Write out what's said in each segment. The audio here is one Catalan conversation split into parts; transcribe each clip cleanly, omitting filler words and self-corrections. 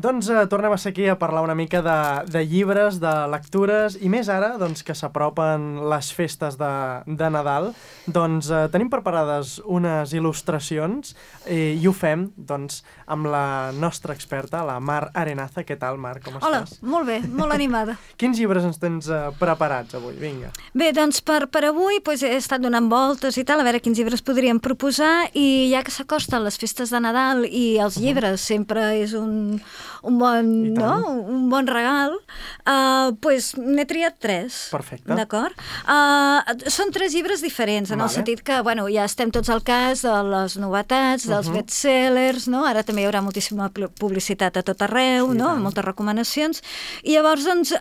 Doncs tornem a ser aquí a parlar una mica de llibres, de lectures, i més ara, doncs, que s'apropen les festes de Nadal, doncs tenim preparades unes il·lustracions i ho fem, doncs, amb la nostra experta, la Mar Arenaza. Què tal, Mar? Com estàs? Hola, molt bé, molt animada. Quins llibres ens tens preparats avui? Vinga. Bé, doncs per avui he estat donant voltes i tal, a veure quins llibres podríem proposar, i ja que s'acosten les festes de Nadal i els llibres sempre és un bon regal, doncs n'he triat 3. Perfecte. D'acord? Són 3 llibres diferents, en el sentit que, bueno, ja estem tots al cas de les novetats, dels bestsellers, no? Ara també hi haurà moltíssima publicitat a tot arreu, no? Moltes recomanacions, i llavors, doncs,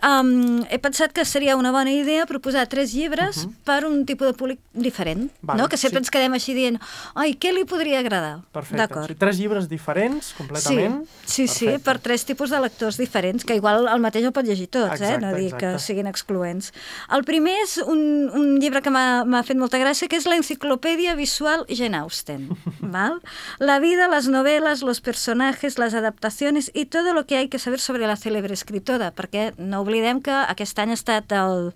he pensat que seria una bona idea proposar 3 llibres per un tipus de públic diferent, no? Que sempre ens quedem així dient, ai, què li podria agradar? Perfecte. 3 llibres diferents, completament? Sí, per 3 tipus de lectors diferents, que igual el mateix el pot llegir tots, no dic que siguin excloents. El primer és un llibre que m'ha fet molta gràcia, que és la Enciclopedia Visual Jane Austen. ¿Val? La vida, las novelas, los personajes, las adaptaciones y todo lo que hay que saber sobre la célebre escritora, perquè no oblidem que aquest any ha estat el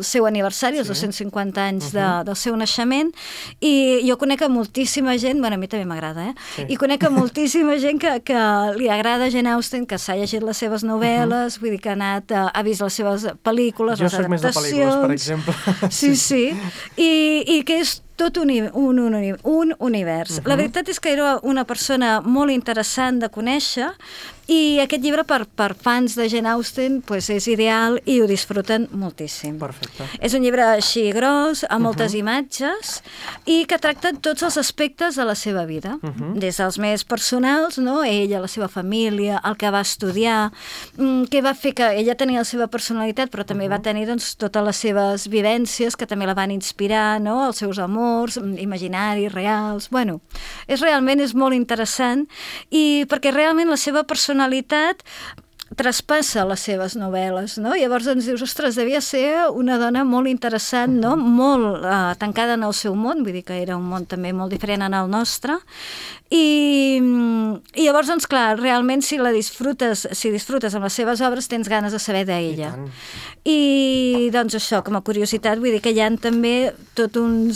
seu aniversari, els 250 anys del seu naixement, i jo conec a moltíssima gent, bueno, a mi també m'agrada, i conec a moltíssima gent que li agrada Jane Austen, que s'ha llegit les seves novel·les, vull dir que ha vist les seves pel·lícules, les adaptacions... Jo soc més de pel·lícules, per exemple. Sí. I que és tot un univers. La veritat és que era una persona molt interessant de conèixer, i aquest llibre per fans de Jane Austen és ideal i ho disfruten moltíssim. Perfecte. És un llibre així gros, amb moltes imatges, i que tracta tots els aspectes de la seva vida, des dels més personals, no? Ella, la seva família, el que va estudiar, què va fer, que ella tenia la seva personalitat, però també va tenir, doncs, totes les seves vivències que també la van inspirar, no? Els seus amors imaginaris, reals... Bueno, realment és molt interessant, i perquè realment la seva personalitat traspassa les seves novel·les, no? Llavors ens dius, ostres, devia ser una dona molt interessant, no? Molt tancada en el seu món, vull dir que era un món també molt diferent en el nostre, i llavors, doncs clar, realment si disfrutes amb les seves obres tens ganes de saber d'ella. I doncs això, com a curiositat, vull dir que hi ha també tot un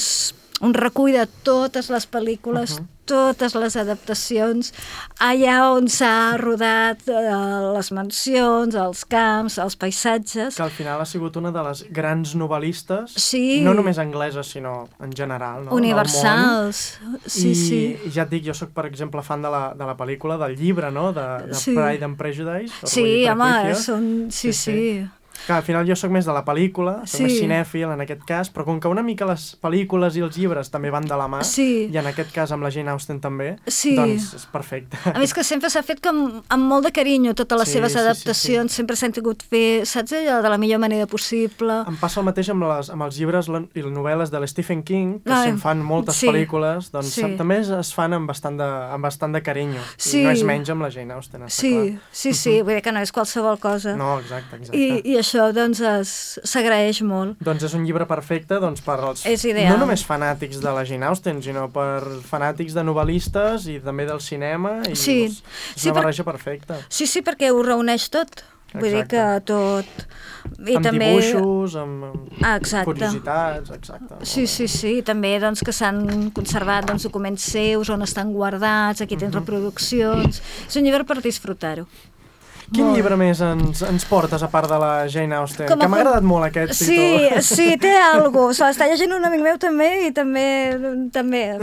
recull de totes les pel·lícules, totes les adaptacions, allà on s'ha rodat les mansions, els camps, els paisatges. Que al final ha sigut una de les grans novel·listes, no només angleses, sinó en general, no? Universals. Sí. I ja et dic, jo soc, per exemple, fan de la pel·lícula, del llibre, no? De Pride and Prejudice. Sí, home, sí. Que al final jo sóc més de la pel·lícula, soc més cinèfil en aquest cas, però com que una mica les pel·lícules i els llibres també van de la mà, i en aquest cas amb la Jane Austen també, doncs és perfecte. A més que sempre s'ha fet amb molt de carinyo totes les seves adaptacions, sempre s'han tingut fer, saps allò, de la millor manera possible. Em passa el mateix amb els llibres i les novel·les de l'Stephen King, que se'n fan moltes pel·lícules, doncs també es fan amb bastant de carinyo, i no és menys amb la Jane Austen, està clar. Sí, vull dir que no és qualsevol cosa. No, exacte. I això, doncs, s'agraeix molt. Doncs és un llibre perfecte per als no només fanàtics de la Jane Austen, sinó per fanàtics de novel·listes i també del cinema, i és una barreja perfecta. Sí, perquè ho reuneix tot. Vull dir que tot... Amb dibuixos, amb curiositats, exacte. Sí, també que s'han conservat documents seus on estan guardats, aquí tens reproduccions... És un llibre per disfrutar-ho. Quin llibre més ens portes, a part de la Jane Austen? Que m'ha agradat molt aquest títol. Sí, té alguna cosa. Està llegint un amic meu també i també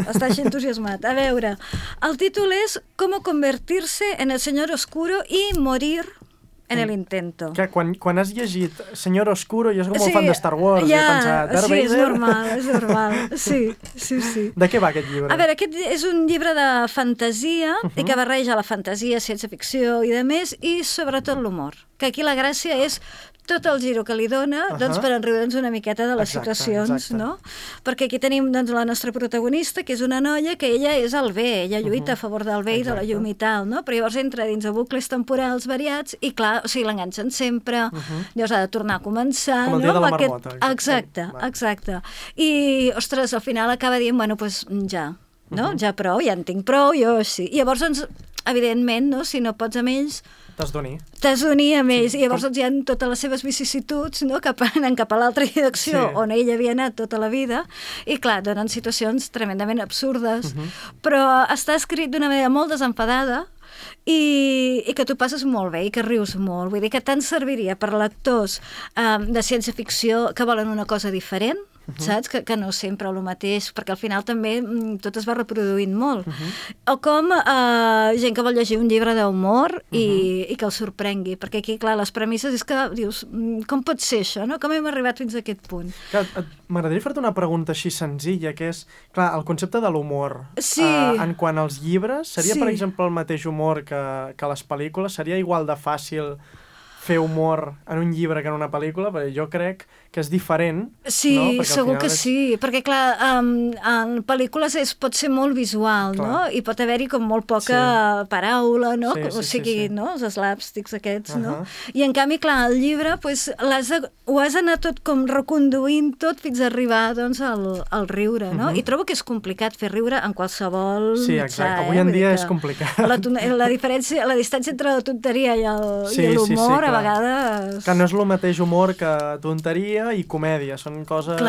està així entusiasmat. A veure, el títol és ¿Cómo convertirse en el señor oscuro y morir en el intento? Que quan has llegit Señor Oscuro, jo soc molt fan de Star Wars, i he pensat, Darth Vader... Sí, és normal. Sí. De què va aquest llibre? A veure, aquest és un llibre de fantasia, i que barreja la fantasia, ciència-ficció i de més, i sobretot l'humor. Que aquí la gràcia és tot el giro que li dona per enriure'ns una miqueta de les situacions, no? Perquè aquí tenim la nostra protagonista, que és una noia que ella és el bé, ella lluita a favor del bé i de la llum i tal, no? Però llavors entra dins de bucles temporals variats i, clar, o sigui, l'enganxen sempre, llavors ha de tornar a començar... Com el dia de la marmota. Exacte. I, ostres, al final acaba dient, bueno, doncs ja, no? Ja prou, ja en tinc prou, jo sí. I llavors, doncs, evidentment, no? Si no pots amb ells, T'has d'unir. t'has d'unir amb ells, i llavors hi ha totes les seves vicissituds, no? Que anen cap a l'altra direcció, on ell havia anat tota la vida, i clar, donen situacions tremendament absurdes, però està escrit d'una manera molt desenfadada, i que tu passes molt bé i que rius molt. Vull dir que tant serviria per lectors de ciència-ficció que volen una cosa diferent, saps? Que no sempre el mateix, perquè al final també tot es va reproduint molt. O com gent que vol llegir un llibre d'humor i que el sorprengui, perquè aquí, clar, les premisses és que dius, com pot ser això, no? Com hem arribat fins a aquest punt? M'agradaria fer-te una pregunta així senzilla, que és, clar, el concepte de l'humor. Sí. En quant als llibres, seria, per exemple, el mateix humor que les pel·lícules? Seria igual de fàcil fer humor en un llibre que en una pel·lícula? Perquè jo crec que és diferent. Sí, no? segur que sí, perquè clar, en pel·lícules pot ser molt visual, no? I pot haver-hi com molt poca paraula, no? O sigui, no? Els slapsticks aquests, no? I en canvi, clar, el llibre ho has d'anar tot com reconduint tot fins a arribar, doncs, al riure, no? I trobo que és complicat fer riure en qualsevol mitjà. Sí, exacte. Avui en dia és complicat. La distància entre la tonteria i l'humor, a vegades... Que no és el mateix humor que tonteria i comèdia, són coses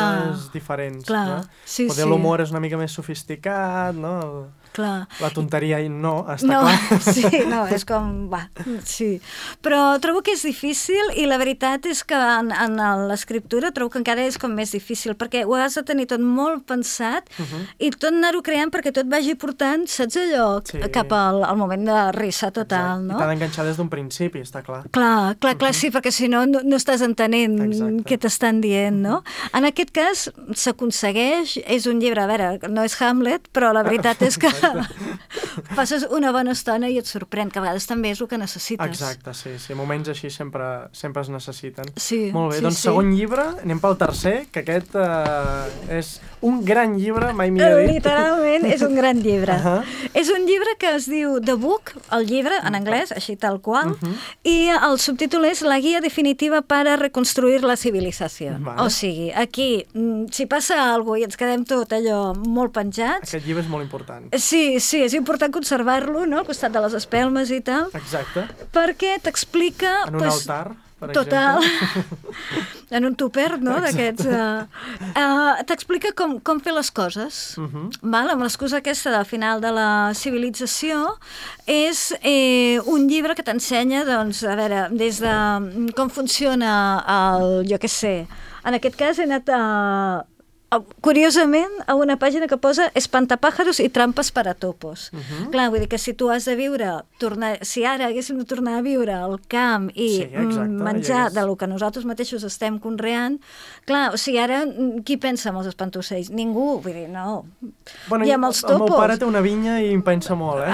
diferents. Clar, sí, Poder l'humor és una mica més sofisticat, no? Clar. La tonteria no, està clar. Sí, no, és com... Va, sí. Però trobo que és difícil i la veritat és que en l'escriptura trobo que encara és com més difícil, perquè ho has de tenir tot molt pensat i tot anar-ho creant perquè tot vagi portant, saps allò, cap al moment de risa total, no? I t'ha d'enganxar des d'un principi, està clar. Clar, sí, perquè si no, no estàs entenent què t'estan dient, no? En aquest cas s'aconsegueix, és un llibre, a veure, no és Hamlet, però la veritat és que passes una bona estona i et sorprèn, que a vegades també és el que necessites. Exacte, sí. Moments així sempre es necessiten. Sí. Molt bé, doncs segon llibre, anem pel tercer, que aquest és un gran llibre, mai millor dit. Literalment, és un gran llibre. És un llibre que es diu The Book, el llibre, en anglès, així tal qual, i el subtítol és La guia definitiva para reconstruir la civilizació. O sigui, aquí, si passa alguna cosa i ens quedem tot allò molt penjats... Aquest llibre és molt important. Sí, és important conservar-lo, no?, al costat de les espelmes i tal. Exacte. Perquè t'explica... En un altar, per total, exemple. en un tupper, no?, d'aquests... T'explica com fer les coses. Amb l'excusa aquesta del final de la civilització, és un llibre que t'ensenya, doncs, a veure, des de com funciona jo què sé, en aquest cas he anat curiosament, a una pàgina que posa espantapàjaros i trampes per a topos. Clar, vull dir que si tu has de viure, si ara haguéssim de tornar a viure al camp i menjar de lo que nosaltres mateixos estem conreant, clar, o sigui, ara qui pensa en els espantocells? Ningú, vull dir, no. Bueno, I amb els topos... El meu pare té una vinya i em pensa molt,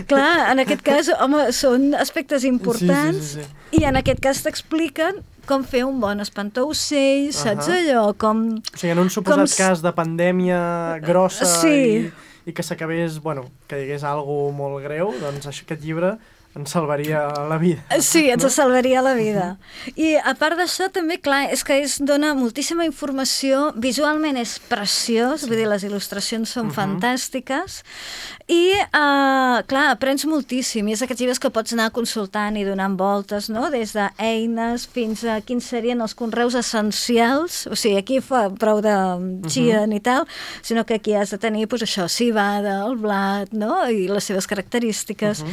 Clar, en aquest cas, home, són aspectes importants i en aquest cas t'expliquen com fer un bon espantaocells, saps allò? O sigui, en un suposat cas de pandèmia grossa i que s'acabés, que hi hagués alguna molt greu, doncs aquest llibre ens salvaria la vida. Sí, ens salvaria la vida. I a part d'això també, clar, és que dona moltíssima informació, visualment és preciós, vull dir, les il·lustracions són fantàstiques, i, clar, aprens moltíssim, i és aquests llibres que pots anar consultant i donant voltes, no?, des d'eines fins a quins serien els conreus essencials, o sigui, aquí fa prou de xien i tal, sinó que aquí has de tenir, doncs això, civada, el blat, no?, i les seves característiques.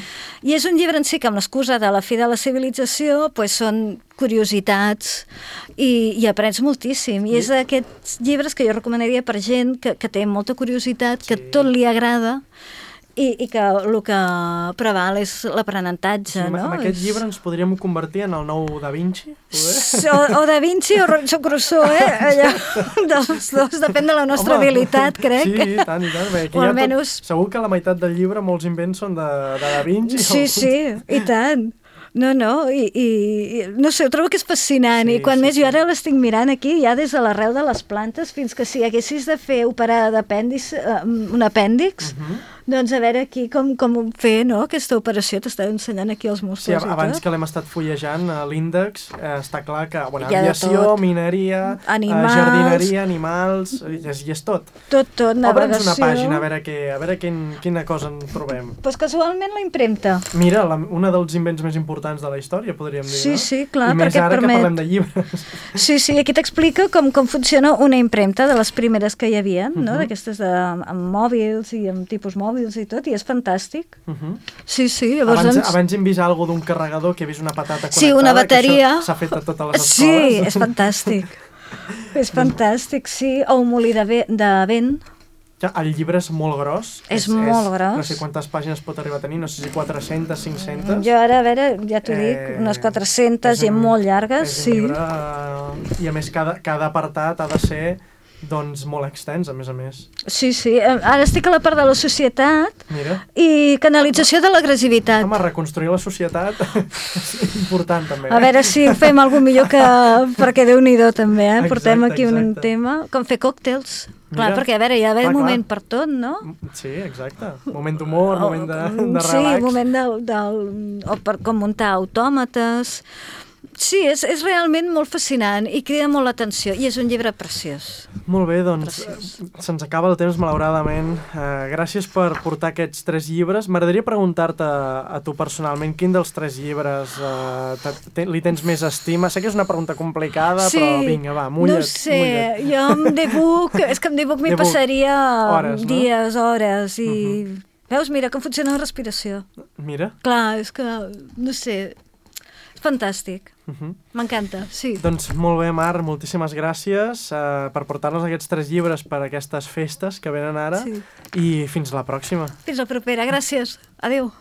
I és un llibre en si que amb l'excusa de la fi de la civilització són curiositats i aprens moltíssim. I és d'aquests llibres que jo recomanaria per gent que té molta curiositat, que tot li agrada i que el que preval és l'aprenentatge, no? Amb aquest llibre ens podríem convertir en el nou Da Vinci? O Da Vinci o Robinson Crusoe, allò dels dos, depèn de la nostra habilitat, crec. Sí, i tant. O almenys... Segur que la meitat del llibre, molts invents són de Da Vinci. Sí, i tant. No, i no sé, ho trobo que és fascinant, i quan més jo ara l'estic mirant aquí, ja des de l'arrel de les plantes fins que si haguessis de fer operar un apèndix, Doncs a veure aquí com fer, no?, aquesta operació. T'estava ensenyant aquí els muscles i tot. Sí, abans que l'hem estat fullejant, l'índex, està clar que, bueno, hi ha de aviació, tot. mineria, Animals. jardineria, animals, i és tot. Tot, navegació. Obre'ns una pàgina, a veure quina cosa en trobem. Doncs casualment la impremta. Mira, un dels invents més importants de la història, podríem dir, Sí, no? sí, clar, I més perquè ara permet... que parlem de llibres. Sí, aquí t'explica com funciona una impremta de les primeres que hi havia, no? D'aquestes amb mòbils i amb tipus mòbils i tot, i és fantàstic. Sí, llavors... Abans hem vist alguna d'un carregador, que he vist una patata connectada, sí, una bateria. Que això s'ha fet a totes les escoles. Sí, és fantàstic. És fantàstic, sí. O un molí de vent. El llibre és molt gros. És molt gros. No sé quantes pàgines pot arribar a tenir, no sé si 400, 500... Jo ara, a veure, ja t'ho dic, unes 400 i molt llargues, sí. És un llibre... I a més, cada apartat ha de ser... doncs molt extens, a més. Sí, ara estic a la part de la societat. Mira. I canalització de l'agressivitat. Home, reconstruir la societat és important, també. A veure si ho fem alguna millor que... perquè Déu-n'hi-do, també, eh? Portem aquí un tema, com fer còctels. Clar, perquè, a veure, hi ha d'haver moment per tot, no? Sí, exacte. Moment d'humor, moment de relax. Sí, moment o per com muntar autòmates. Sí, és realment molt fascinant i crida molt l'atenció, i és un llibre preciós. Molt bé, doncs se'ns acaba el temps, malauradament. Gràcies per portar aquests 3 llibres. M'agradaria preguntar-te a tu personalment quin dels 3 llibres li tens més estima. Sé que és una pregunta complicada, sí, però vinga, va, mulla't. No sé, jo amb D-Book, és que amb D-Book m'hi passaria hores, dies, hores, i... Veus, mira com funciona la respiració. Mira. Clar, és que, no sé... Fantàstic. M'encanta, sí. Doncs molt bé, Mar, moltíssimes gràcies per portar-nos aquests 3 llibres per aquestes festes que venen ara, i fins la pròxima. Fins la propera, gràcies. Adéu.